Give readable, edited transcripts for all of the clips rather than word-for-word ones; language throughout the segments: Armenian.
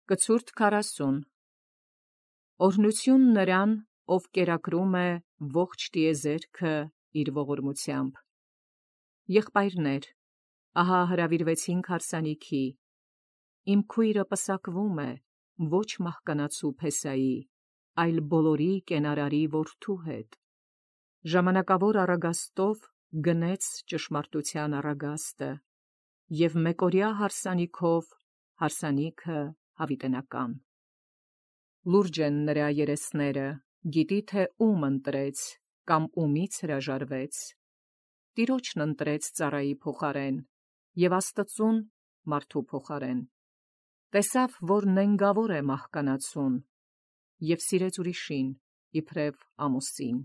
Կցուրդ 40 Օրհնություն նրան, ով կերակրում է ողջ տիեզերքը իր ողորմությամբ։ Եղբայրներ, ահա հրավիրվեցինք հարսանիքի։ Իմ քույրը պսակվում է, ոչ մահկանացու Փեսայի, այլ բոլորի կենարարի որդու հետ։ Ժամանակավոր առագաստով գնեց ճշմարտության առագաստը, և մեկօրյա հարսանիքով հարսանիքը հավիտենական։ Լուրջ են նրա երեսները, գիտի թե ում ընտրեց, կամ ումից հրաժարվեց։ Տիրոջն ընտրեց ծառայի փոխարեն, և Աստծուն մարդու փոխարեն։ Տեսավ, որ նենգավոր է մահկանացուն, և սիրեց ուրիշին, իբրև ամուսին։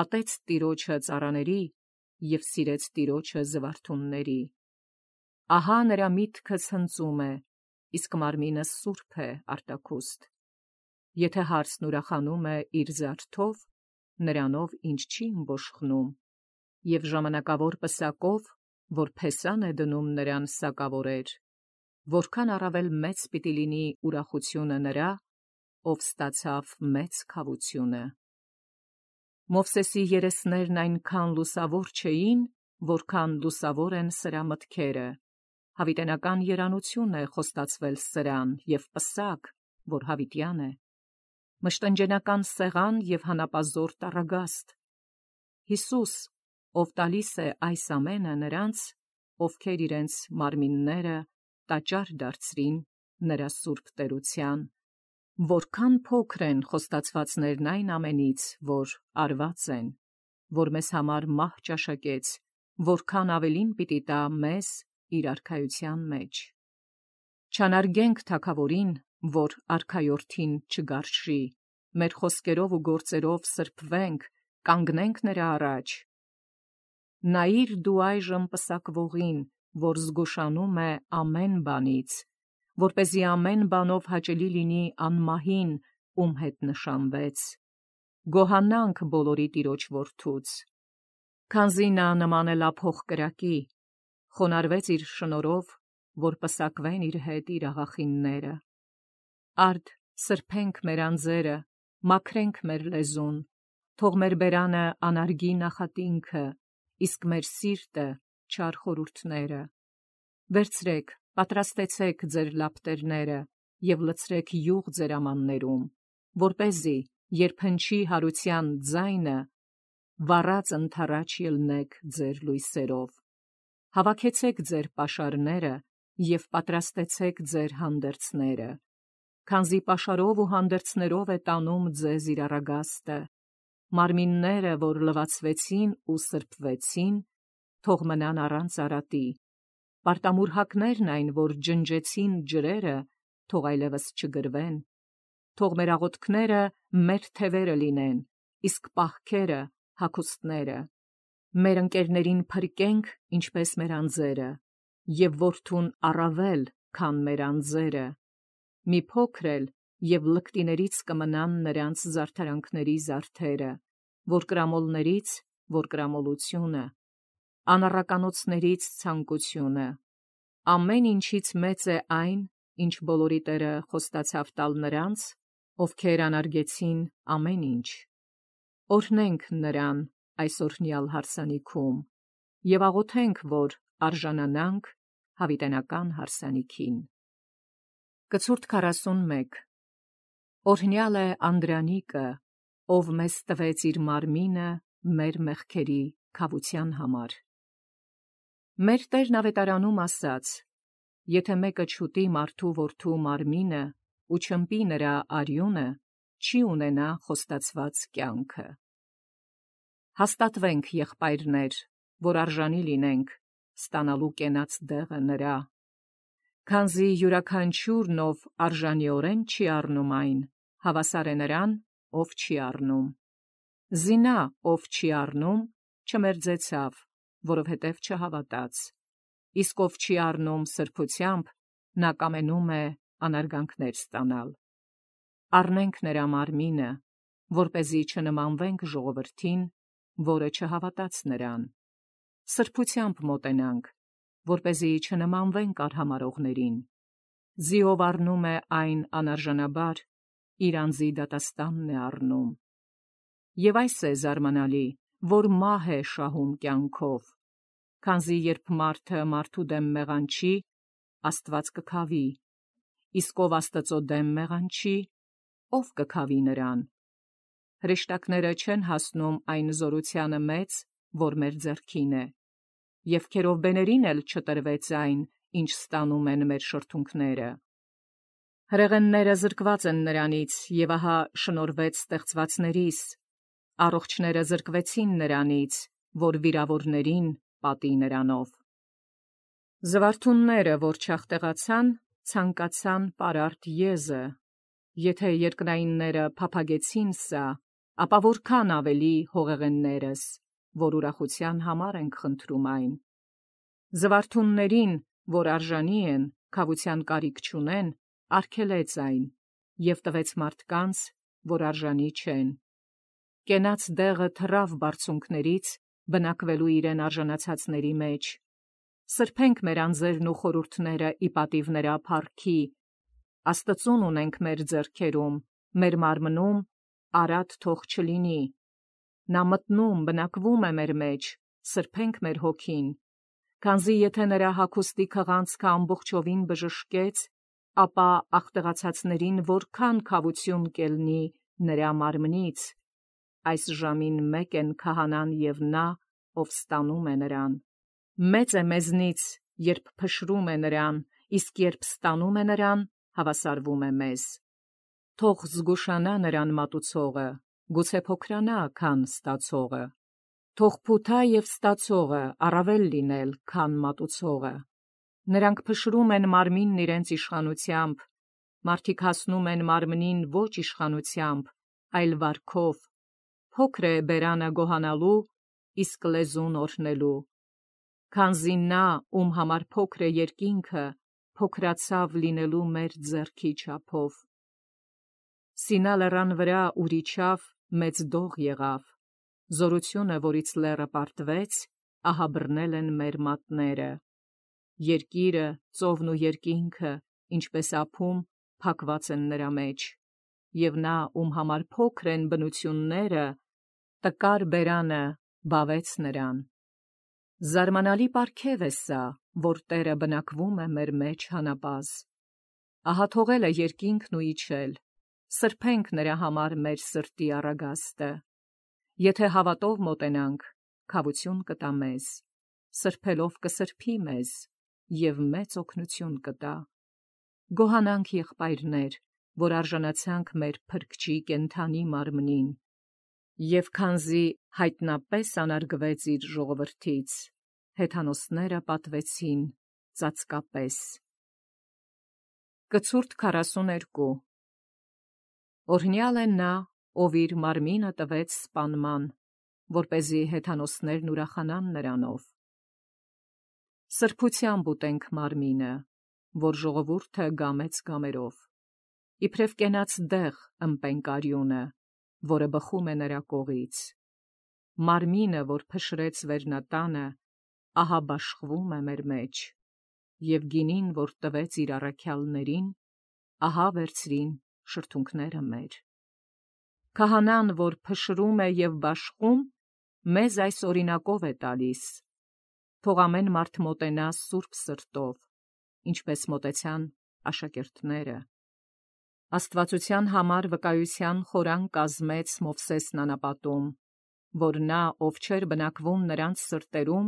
Ատեց Տիրոջը ծառաների և սիրեց Տիրոջը զվարթունների։ Ահա նրա միտքը ցնծում է, իսկ մարմինը սուրբ է արտաքուստ։ Եթե հարսն ուրախանում է իր զարդով, նրանով ինչ չի ըմբոշխնում, և ժամանակավոր պսակով, որ Փեսան է դնում նրան սակավորեր, որքան առավել մեծ պիտի լինի ուրախությունը նրա, ով ստացավ մեծ քավությունը։ Մովսեսի երեսներն այնքան լուսավոր չէին, որքան լուսավոր են սրա մտքերը։ Հավիտենական երանություն է խոստացվել սրան և պսակ, որ հավիտյան է։ Մշտնջենական սեղան և հանապազորդ առագաստ։ Հիսուս, ով տալիս է այս ամենը նրանց, ովքեր իրենց մարմինները տաճար դարձրին նրա սուրբ տերության, որքան փոքր են խոստացվածներն այն ամենից, որ արված են, որ մեզ համար մահ ճաշակեց, որքան ավելին պիտի տա մեզ իր արքայության մեջ։ Չանարգենք թագավորին, որ արքայորդին չգարշի, մեր խոսքերով ու գործերով սրբվենք, կանգնենք նրա առաջ։ Նայիր դու այժմ պսակվողին, որ զգուշանում է ամեն բանից, որպեսզի ամեն բանով հաճելի լինի անմահին, ում հետ նշանվեց։ Գոհանանք բոլորի Տիրոջ որդուց։ Քանզի նա նման է լափող կրակի, խոնարհվեց իր շնորհով, որ պսակվեն իր հետ իր աղախինները։ Արդ սրբենք մեր անձերը, մաքրենք մեր լեզուն, թող մեր բերանը անարգի նախատինքը, իսկ մեր սիրտը չար խորհուրդները։ Վերցրեք, պատրաստեցեք ձեր լապտերները և լցրեք յուղ ձեր ամաններում, որպեսզի երբ հնչի հարության ձայնը, վառած ընդառաջ ելնեք ձեր լույսերով։ Հավաքեցեք ձեր պաշարները և պատրաստեցեք ձեր հանդերձները, քանզի պաշարով ու հանդերձներով է տանում ձեզ իր առագաստը։ Մարմինները, որ լվացվեցին ու սրբվեցին, թող մնան առանց արատի։ Պարտամուրհակներն այն, որ ջնջեցին ջրերը, թող այլևս չգրվեն։ Թող մեր աղոթքները մեր թևերը լինեն, իսկ պահքերը հագուստները։ Մեր ընկերներին փրկենք, ինչպես մեր անձերը, և որդուն առավել, քան մեր անձերը։ Մի փոքր էլ, և լկտիներից կմնան նրանց զարդարանքների զարդերը, որ կրամոլներից, որ կրամոլությունը, անառականոցներից ցանկությունը։ Ամեն ինչից մեծ է այն, ինչ բոլորի Տերը խոստացավ տալ նրանց, ովքեր անարգեցին ամեն ինչ։ Օրհնենք նրան այս օրհնյալ հարսանիքում և աղոթենք, որ արժանանանք հավիտենական հարսանիքին։ Կցուրդ 41 Օրհնյալ է Անդրանիկը, ով մեզ տվեց իր մարմինը մեր մեղքերի քավության համար։ Մեր Տերն ավետարանում ասաց. եթե մեկը չուտի մարդու որդու մարմինը ու չըմպի նրա արյունը, չի ունենա խոստացված կյանքը։ Հաստատվենք, եղբայրներ, որ արժանի լինենք ստանալու կենաց դեղը նրա, քանզի յուրաքանչյուրն, ով արժանիորեն չի առնում այն, հավասար է նրան, ով չի առնում։ Զինա, ով չի առնում, չմերձեցավ, որովհետև չհավատաց, իսկ ով չի առնում սրբությամբ, նա կամենում է անարգանքներ ստանալ։ Առնենք նրա մարմինը, որպեսզի չնմանվենք ժողովրդին, որը չհավատաց նրան։ Սրբությամբ մոտենանք, որպեսզի չնմանվենք արհամարհողներին։ Զիով առնում է այն անարժանաբար, իր անձի դատաստանն է առնում։ Եվ այս է զարմանալի, որ մահ է շահում կյանքով, քանզի երբ մարդը մարդու դեմ մեղանչի, Աստված կքավի, իսկ ով Աստծո դեմ մեղանչի, ով կքավի նրան։ Հրեշտակները չեն հասնում այն զորությանը մեծ, որ մեր ձեռքին է, և քերովբեներին էլ չտրվեց այն, ինչ ստանում են մեր շրթունքները։ Հրեղենները զրկված են նրանից, և ահա շնորհվեց ստեղծվածներիս, առողջները զրկվեցին նրանից, որ վիրավորներին պատի նրանով։ Զվարթունները, որ չախտեղացան, ցանկացան պարարտ եզը, եթե երկնայինները փափագեցին սա, ապա որքան ավելի հողեղեններս, որ ուրախության համար ենք խնդրում այն։ Զվարթուններին, որ արժանի են, քավության կարիք չունեն, արգելեց այն, և տվեց մարդկանց, որ արժանի չեն։ Կենաց դեղը թռավ բարձունքներից, բնակվելու իրեն արժանացածների մեջ։ Սրբենք մեր անձերն ու խորհուրդները ի պատիվ նրա փառքի, Աստծուն ունենք մեր ձեռքերում, մեր մարմնում արատ թող չլինի։ Նա մտնում, բնակվում է մեր մեջ, սրբենք մեր հոգին, քանզի եթե նրա հագուստի քղանցքը ամբողջովին բժշկեց, ապա ախտեղացածներին որքան քավություն կելնի նրա մարմնից, այս ժամին մեկ են քահանան և նա, ով ստանում է նրան։ Մեծ է մեզնից, երբ փշրում է նրան, իսկ երբ ստանում է նրան, հավասարվում է մեզ։ Թող զգուշանա նրան մատուցողը, գուցե փոքրանա, քան ստացողը։ Թող փութա և ստացողը առավել լինել, քան մատուցողը։ Նրանք փշրում են մարմինն իրենց իշխանությամբ, մարդիկ հասնում են մարմնին ոչ իշխանությամբ, այլ վարքով։ Փոքր է բերանը գոհանալու, իսկ լեզուն օրհնելու։ Քանզի նա, ում համար փոքր է երկինքը, փոքրացավ լինելու մեր ձեռքի չափով։ Սինա լեռան վրա ուր իջավ, մեծ դող եղավ, զորությունը, որից լեռը պարտվեց, ահա բռնել են մեր մատները։ Երկիրը, ծովն ու երկինքը, ինչպես ափում, փակված են նրա մեջ, և նա, ում համար փոքր են բնությունները, տկար բերանը բավեց նրան։ Զարմանալի պարգև է սա, որ Տերը բնակվում է մեր մեջ հանապազ։ Ահա թողել է երկինքն ու իջել, սրբենք նրա համար մեր սրտի առագաստը։ Եթե հավատով մոտենանք, քավություն կտա մեզ, սրբելով կսրբի մեզ և մեծ օգնություն կտա։ Գոհանանք եղբայրներ, որ արժանացանք մեր Փրկչի կենդանի մարմնին, և քանզի հայտնապես անարգվեց իր ժողովրդից, հեթանոսները պատվեցին ծածկապես։ Կցուրդ 42 Օրհնյալ է նա, ով իր մարմինը տվեց սպանման, որպեսզի հեթանոսներն ուրախանան նրանով։ Սրբությամբ ուտենք մարմինը, որ ժողովուրդը գամեց գամերով, իբրև կենաց դեղ ըմպենք արյունը, որը բխում է նրա կողից։ Մարմինը, որ փշրեց վերնատանը, ահա բաշխվում է մեր մեջ, և գինին, որ տվեց իր առաքյալներին, ահա վերցրին շրթունքները մեր։ Քահանան, որ փշրում է և բաշխում, մեզ այս օրինակով է տալիս. թող ամեն մարդ մոտենա սուրբ սրտով, ինչպես մոտեցան աշակերտները։ Աստվածության համար վկայության խորան կազմեց Մովսեսն անապատում, որ նա, ով չէր բնակվում նրանց սրտերում,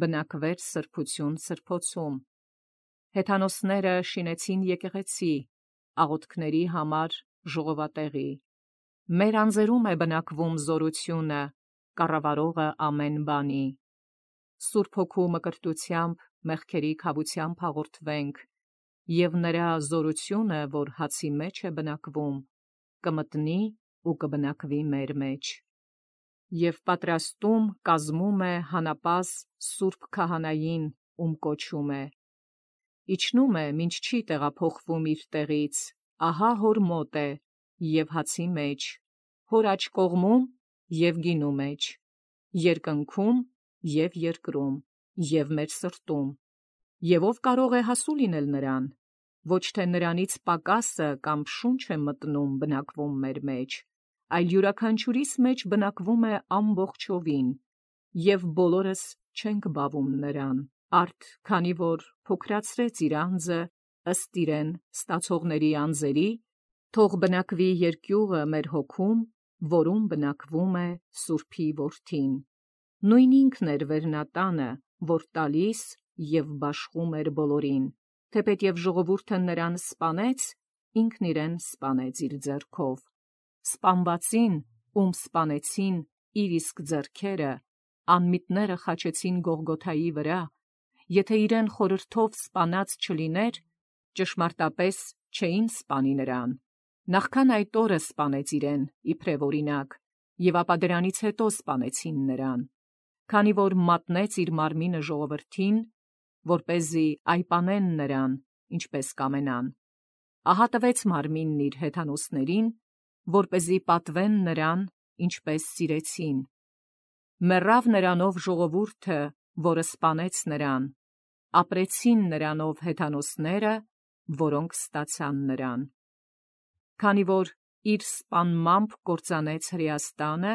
բնակվեր սրբություն սրբոցում։ Հեթանոսները շինեցին եկեղեցի, աղոթքների համար ժողովատեղի։ Մեր անձերում է բնակվում զորությունը, կառավարողը ամեն բանի։ Սուրբ Հոգու մկրտությամբ մեղքերի քավությամբ հաղորդվենք, և նրա զորությունը, որ հացի մեջ է բնակվում, կմտնի ու կբնակվի մեր մեջ։ Եվ պատրաստում կազմում է հանապազ սուրբ քահանային, ում կոչում է։ Իջնում է, մինչ չի տեղափոխվում իր տեղից, ահա հոր մոտ է, և հացի մեջ, հոր աջ կողմում և գինու մեջ, երկնքում և երկրում, և մեր սրտում։ Եվ ով կարող է հասու լինել նրան, ոչ թե նրանից պակասը կամ շունչ է մտնում բնակվում մեր մեջ, այլ յուրաքանչյուրիս մեջ բնակվում է ամբողջովին, և բոլորս չենք բավում նրան, արդ քանի որ փոքրացրեց իր անձը ըստ իրեն ստացողների անձերի, թող բնակվի երկյուղը մեր հոգում, որում բնակվում է Սուրբի Որդին։ Նույն ինքն էր վերնատանը, որ տալիս և բաշխում էր բոլորին, թեպետև ժողովուրդը նրան սպանեց, ինքն իրեն սպանեց իր ձեռքով։ Սպանվածին, ում սպանեցին իր իսկ ձեռքերը, անմիտները խաչեցին Գողգոթայի վրա, եթե իրեն խորհրդով սպանած չլիներ, ճշմարտապես չէին սպանի նրան։ Նախքան այդ օրը սպանեց իրեն, իբրև օրինակ, և ապա դրանից հետո սպանեցին նրան, քանի որ մատնեց իր մարմինը ժողովրդին, որպեսզի այպանեն նրան, ինչպես կամենան։ Ահա տվեց մարմինն իր հեթանոսներին, որպեսզի պատվեն նրան, ինչպես սիրեցին։ Մեռավ նրանով ժողովուրդը, որը սպանեց նրան, ապրեցին նրանով հեթանոսները, որոնք ստացան նրան։ Քանի որ իր սպանմամբ կործանեց Հրեաստանը,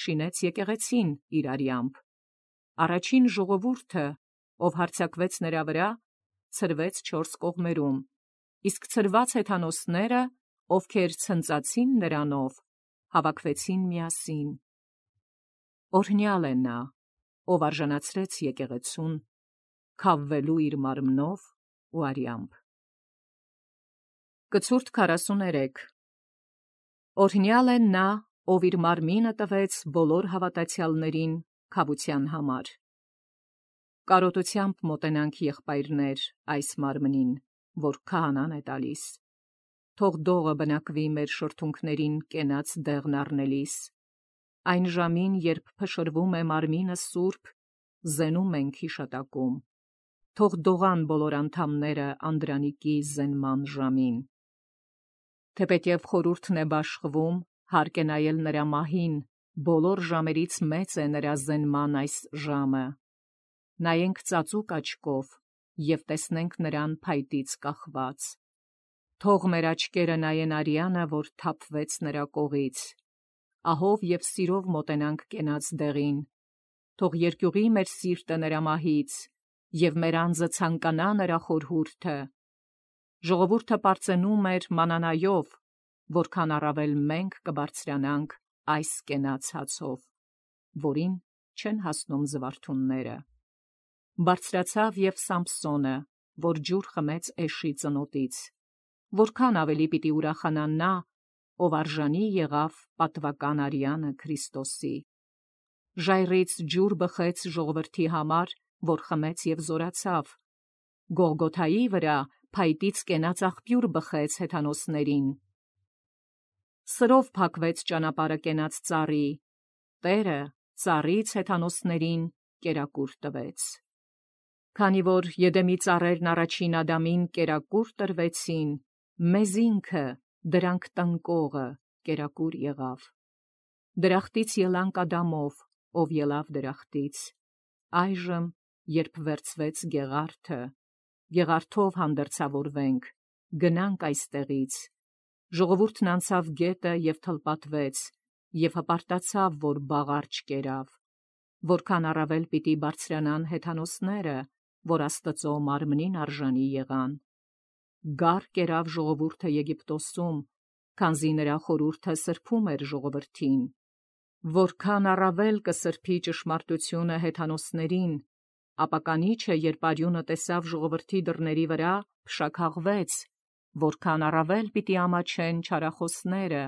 շինեց եկեղեցին իր արյամբ։ Առաջին ժողովուրդը, ով հարձակվեց նրա վրա, ցրվեց 4 կողմերում, իսկ ցրված հեթանոսները, ովքեր ցնծացին նրանով, հավաքվեցին միասին։ Օրհնյալ է նա, ով արժանացրեց եկեղեցուն, քավվելու իր մարմնով ու արյամբ։ Կցուրդ 43 Օրհնյալ է նա, ով իր մարմինը տվեց բոլոր հավատացյալներին քավության համար։ Կարոտությամբ մոտենանք եղբայրներ այս մարմնին, որ քահանան է տալիս։ Թող դողը բնակվի մեր շրթունքներին կենաց դեղն առնելիս։ Այն ժամին, երբ փշրվում է մարմինը սուրբ, զենում ենք հիշատակում։ Թող դողան բոլոր անդամները անդրանիկի զենման ժամին։ Թեպետև խորհուրդն է բաշխվում, հարկ է նայել նրա մահին, բոլոր ժամերից մեծ է նրա զենման այս ժամը։ Նայենք ծածուկ աչքով և տեսնենք նրան փայտից կախված։ Թող մեր աչքերը նայեն արյանը, որ թափվեց նրա կողից։ Ահով և սիրով մոտենանք կենաց դեղին։ Թող երկյուղի մեր սիրտը նրա մահից, և մեր անձը ցանկանա նրա խորհուրդը։ Ժողովուրդը պարծենում էր մանանայով, որքան առավել մենք կբարձրանանք այս կենաց հացով, որին չեն հասնում զվարթունները։ Բարձրացավ և Սամփսոնը, որ ջուր խմեց էշի ծնոտից, որքան ավելի պիտի ուրախանա նա, ով արժանի եղավ պատվական արյանը Քրիստոսի։ Ժայռից ջուր բխեց ժողովրդի համար, որ խմեց և զորացավ։ Գողգոթայի վրա փայտից կենաց աղբյուր բխեց հեթանոսներին։ Սրով փակվեց ճանապարհը կենաց ծառի, Տերը ծառից հեթանոսներին կերակուր տվեց։ Քանի որ Եդեմի ծառերն առաջին Ադամին կերակուր տրվեցին, մեզ ինքը, դրանք տնկողը, կերակուր եղավ։ Դրախտից ելանք Ադամով, ով ելավ դրախտից։ Այժմ, երբ վերցվեց Գեղարդը, Գեղարդով հանդերձավորվենք, գնանք այստեղից։ Ժողովուրդն անցավ գետը և թլպատվեց, և հպարտացավ, որ բաղար չկերավ։ Որքան առավել պիտի բարձրանան հեթանոսները, որ Աստծո մարմնին արժանի եղան։ Գառ կերավ ժողովուրդը Եգիպտոսում, քանզի նրա խորհուրդը սրբում էր ժողովրդին։ Որքան առավել կսրբի ճշմարտությունը հեթանոսներին, ապա կանիչ է, երբ արյունը տեսավ ժողովրդի դռների վրա, փշաքաղվեց, որքան առավել պիտի ամաչեն չարախոսները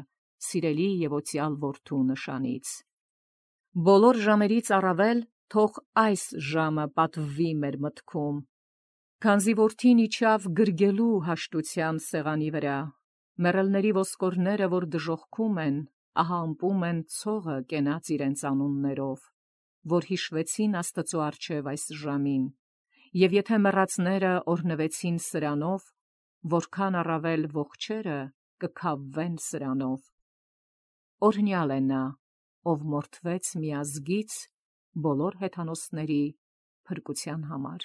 սիրելի և օծյալ Որդու նշանից։ Բոլոր ժամերից առավել թող այս ժամը պատվվի մեր մտքում, քանզի Որդին իջավ գրգելու հաշտության սեղանի վրա, մեռելների ոսկորները, որ դժոխքում են, ահա ըմպում են ցողը կենաց իրենց անուններով, որ հիշվեցին Աստծո առջև այս ժամին, և եթե մեռածները օրհնվեցին սրանով, որքան առավել ողջերը կքավվեն սրանով։ Օրհնյալ է նա, ով մորթվեց մի ազգից բոլոր հեթանոսների փրկության համար։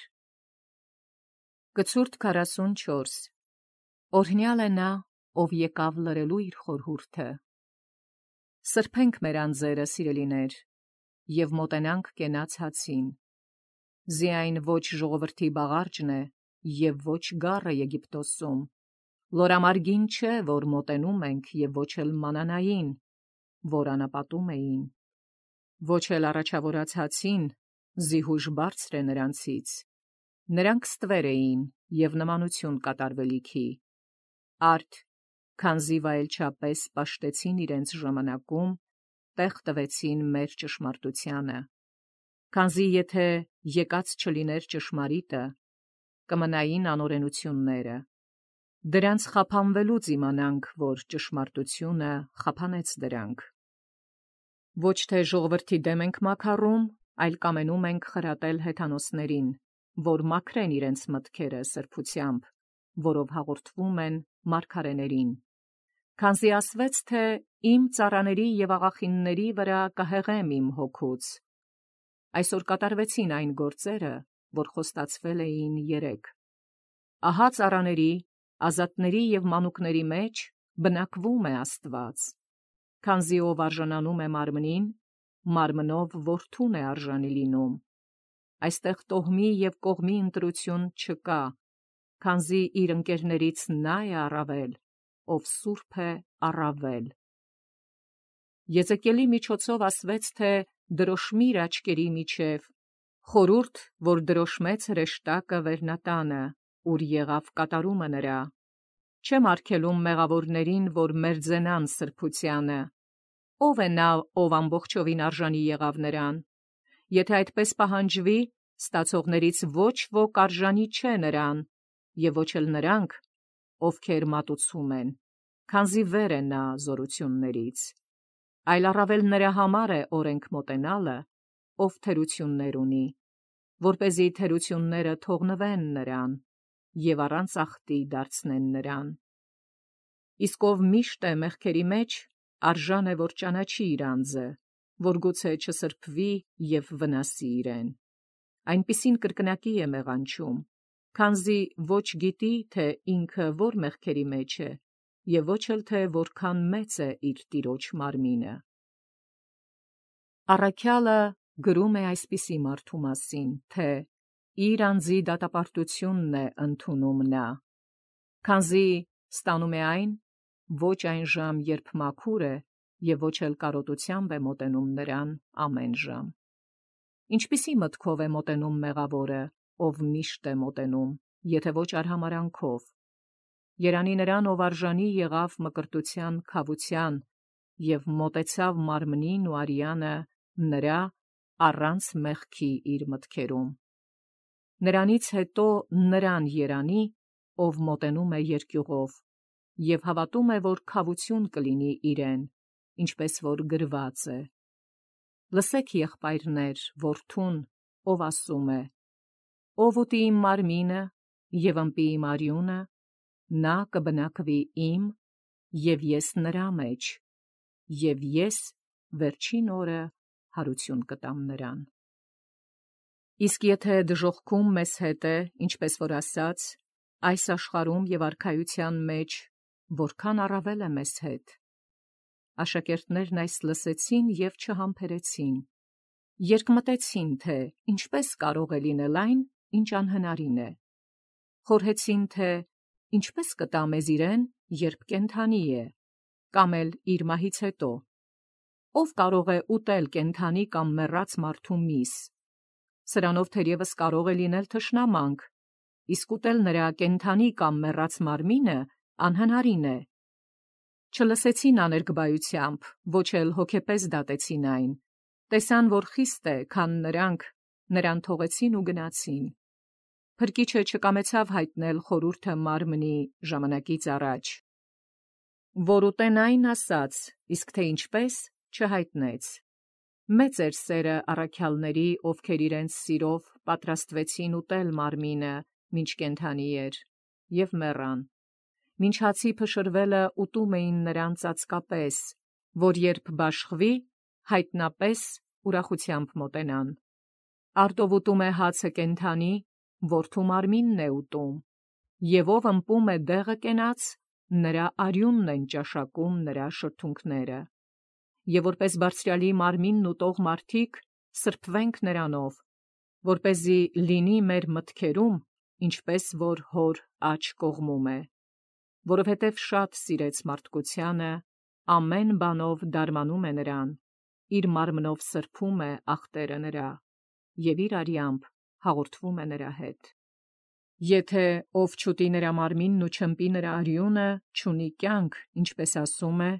Կցուրդ 44 Օրհնյալ է նա, ով եկավ լրելու իր խորհուրդը։ Սրբենք մեր անձերը, սիրելիներ, և մոտենանք կենաց հացին։ Զիայն ոչ ժողովրդի բաղարջն է, և ոչ գառը Եգիպտոսում, լորամարգին չէ, որ մոտենում ենք, և ոչ էլ մանանային, որ անապատում էին, ոչ էլ առաջավորած հացին, զիհուշ բարձր է նրանցից, նրանք ստվեր էին և նմանություն կատարվելիքի, արդ, քանզի վայելչապես պաշտեցին իրենց ժամանակում, տեղ տվեցին մեր ճշմարտությանը, քանզի եթե եկած չլիներ ճշմարիտը, կմնային անօրենությունները, դրանց խափանվելուց իմանանք, որ ճշմարտությունը խափանեց դրանք։ Ոչ թե ժողովրդի դեմ ենք մաքարում, այլ կամենում ենք խրատել հեթանոսներին, որ մաքրեն իրենց մտքերը սրբությամբ, որով հաղորդվում են մարգարեներին, քանզի ասվեց, թե իմ ծառաների և աղախինների վրա կհեղեմ իմ հոգուց։ Այսօր կատարվեցին այն գործերը, որ խոստացվել էին երեկ։ Ահա ծառաների, ազատների և մանուկների մեջ բնակվում է Աստված, քանզի ով արժանանում է մարմնին, մարմնով որդուն է արժանի լինում։ Այստեղ տոհմի և կողմի ընտրություն չկա, քանզի իր ընկերներից նա է առավել, ով սուրբ է առավել։ Եզեկիելի միջոցով ասվեց, թե դրոշմիր աչքերի միջև, խորհուրդ, որ դրոշմեց հրեշտակը վերնատանը, ուր եղավ կատարումը նրա, չեմ արգելում մեղավորներին, որ մերձենան սրբությանը, ով է նա, ով ամբողջովին արժանի եղավ նրան, եթե այդպես պահանջվի, ստացողներից ոչ ոք արժանի չէ նրան, և ոչ էլ նրանք, ովքեր մատուցում են, քանզի վեր է նա զորություններից, այլ առավել նրա համար է օրենք մոտենալը, ով թերություններ ունի, որպեսզի թերությունները թողնվեն նրան և առանց ախտի դարձնեն նրան։ Իսկ ով միշտ է մեղքերի մեջ, արժան է, որ ճանաչի իր անձը, որ գուցե չսրբվի և վնասի իրեն։ Այնպիսին կրկնակի է մեղանչում, քանզի ոչ գիտի, թե ինքը որ մեղքերի մեջ է, և ոչ էլ թե որքան մեծ է իր տիրոջ մարմինը։ Առաքյալը գրում է այսպիսի մարդու մասին, թե իր անձի դատապարտությունն է ընդունում նա, քանզի ստանում է այն, ոչ այն ժամ, երբ մաքուր է, և ոչ էլ կարոտությամբ է մոտենում նրան ամեն ժամ։ Ինչպիսի մտքով է մոտենում մեղավորը, ով միշտ է մոտենում, եթե ոչ արհամարհանքով։ Երանի նրան, ով արժանի եղավ մկրտության քավության և մոտեցավ մարմնին ու արյանը նրա առանց մեղքի իր մտքերում։ Նրանից հետո նրան երանի, ով մոտենում է երկյուղով և հավատում է, որ քավություն կլինի իրեն, ինչպես որ գրված է. «Լսեք, եղբայրներ, որդուն, ով ասում է. ով ուտի իմ մարմինը և ըմպի իմ արյունը, նա կբնակվի իմ, և ես նրա մեջ, և ես վերջին օրը հարություն կտամ նրան»։ Իսկ եթե դժոխքում մեզ հետ է, ինչպես որ ասաց, այս աշխարհում և արքայության մեջ, որքան առավել է մեզ հետ։ Աշակերտներն այս լսեցին և չհամբերեցին, երկմտեցին, թե ինչպես կարող է լինել այն, ինչ անհնարին է, խորհեցին, թե ինչպես կտա մեզ իրեն, երբ կենդանի է, կամ էլ իր մահից հետո, ով կարող է ուտել կենդանի կամ մեռած մարդու միս, սրանով թերևս կարող է լինել թշնամանք, իսկ ուտել նրա կենդանի կամ մեռած մարմինը անհնարին է։ Չլսեցին աներկբայությամբ, ոչ էլ հոգեպես դատեցին այն, տեսան, որ խիստ է, քան նրանք, նրան թողեցին ու գնացին։ Փրկիչը չկամեցավ հայտնել խորհուրդը մարմնի ժամանակից առաջ, որ ուտեն այն ասաց, իսկ թե ինչպես չհայտնեց։ Մեծ էր սերը առաքյալների, ովքեր իրենց սիրով պատրաստվեցին ուտել մարմինը, մինչ կենդանի էր, և մեռան։ Մինչ հացի փշրվելը ուտում էին նրան ծածկապես, որ երբ բաշխվի, հայտնապես ուրախությամբ մոտենան։ Արդ ով ուտում է հացը կենդանի, որդու մարմինն է ուտում, եւ ով ըմպում է դեղը կենաց, նրա արյունն են ճաշակում նրա շրթունքները։ Եվ որպես բարձրյալի մարմինն ուտող մարդիկ սրբվենք նրանով, որպեսզի լինի մեր մտքերում, ինչպես որ հոր աջ կողմում է, որովհետև շատ սիրեց մարդկությանը, ամեն բանով դարմանում է նրան, իր մարմնով սրբում է ախտերը նրա, եւ իր արյամբ հաղորդվում է նրա հետ։ Եթե ով չուտի նրա մարմինն ու չըմպի նրա արյունը, չունի կյանք, ինչպես ասում է,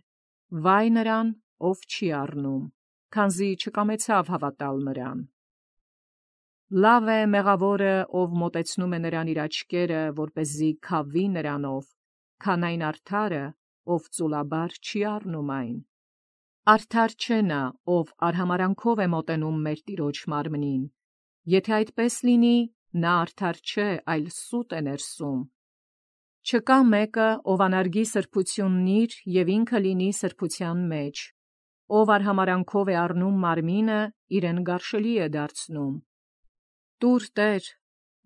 վայ նրան, ով չի առնում, քանզի չկամեցավ հավատալ նրան։ Լավ է մեղավորը, ով մոտեցնում է նրան իր աչքերը, որպեսզի քավի նրանով, քան այն արդարը, ով ծուլաբար չի առնում այն։ Արդար չէ նա, ով արհամարանքով է մոտենում մեր Տիրոջ մարմնին, եթե այդպես լինի, նա արդար չէ, այլ սուտ է ներսում։ Չկա մեկը, ով անարգի սրբությունն իր և ինքը լինի սրբության մեջ, ով արհամարանքով է առնում մարմինը, իրեն գարշելի է դարձնում։ Տուր Տեր,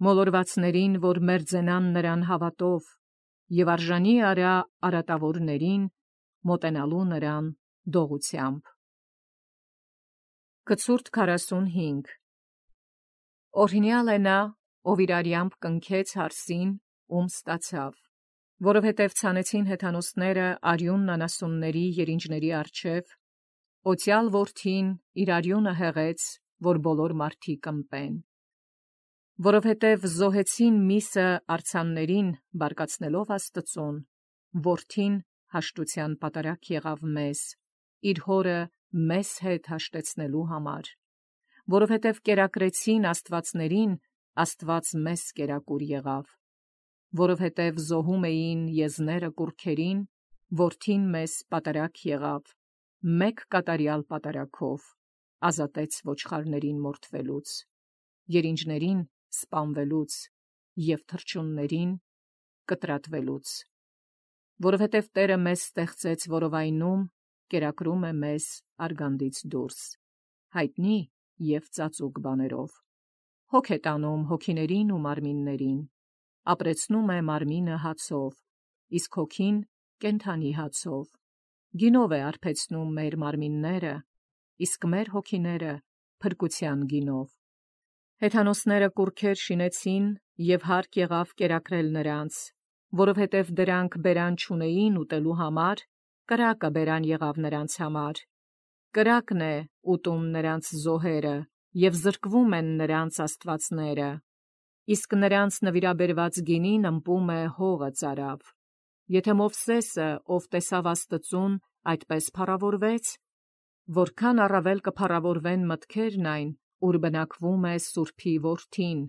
մոլորվածներին, որ մերձենան նրան հավատով, և արժանի արա արատավորներին, մոտենալու նրան դողությամբ։ Կցուրդ 45 Օրհնյալ է նա, ով իր արյամբ կնքեց հարսին, ում ստացավ, որովհետև ցանեցին հեթանոսները արյունն անասունների երինջների առջև, օծյալ որդին իր արյունը հեղեց, որ բոլոր մարդիկ ըմպեն։ Որովհետև զոհեցին միսը արձաններին, բարկացնելով Աստծուն, որդին հաշտության պատարագ եղավ մեզ, իր հորը մեզ հետ հաշտեցնելու համար, որովհետև կերակրեցին աստվածներին, Աստված մեզ կերակուր եղավ, որովհետև զոհում էին եզները կուռքերին, որդին մեզ պատարագ եղավ, մեկ կատարյալ պատարագով, ազատեց ոչխարներին մորթվելուց, երինջներին սպանվելուց և թռչուններին կտրատվելուց, որովհետև Տերը մեզ ստեղծեց որովայնում, կերակրում է մեզ արգանդից դուրս, հայտնի և ծածուկ բաներով, հոգ է տանում հոգիներին ու մարմիններին, ապրեցնում է մարմինը հացով, իսկ հոգին կենդանի հացով, գինով է արբեցնում մեր մարմինները, իսկ մեր հոգիները փրկության գինով։ Հեթանոսները կուռքեր շինեցին և հարկ եղավ կերակրել նրանց, որովհետև դրանք բերան չունեին ուտելու համար, կրակը բերան եղավ նրանց համար, կրակն է ուտում նրանց զոհերը, և զրկվում են նրանց աստվածները, իսկ նրանց նվիրաբերված գինին ըմպում է հողը ծարավ։ Եթե Մովսեսը, ով տեսավ Աստծուն, այդպես փառավորվեց, որքան առավել կփառավորվեն մտքերն այն, ուր բնակվում է Սուրբի որդին,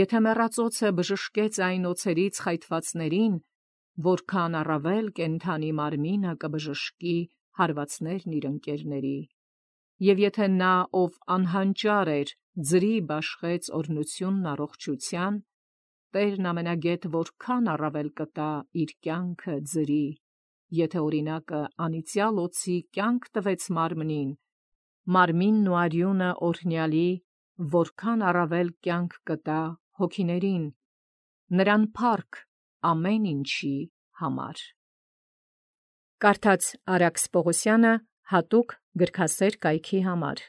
եթե մեռածոցը բժշկեց այն օձերից խայթվածներին, որքան առավել կենդանի մարմինը կբժշկի հարվածներն իր ընկերների։ Եվ եթե նա, ով անհանճար էր, ձրի բաշխեց օրհնությունն առողջության, Տերն ամենագետ որքան առավել կտա իր կյանքը ձրի, եթե օրինակը անիծյալ օձի կյանք տվեց մարմնին, մարմինն ու արյունը օրհնյալի, որքան առավել կյանք կտա հոգիներին, նրան փառք ամեն ինչի համար։ Կարդաց Արաքս Պողոսյանը հատուկ գրքասեր կայքի համար։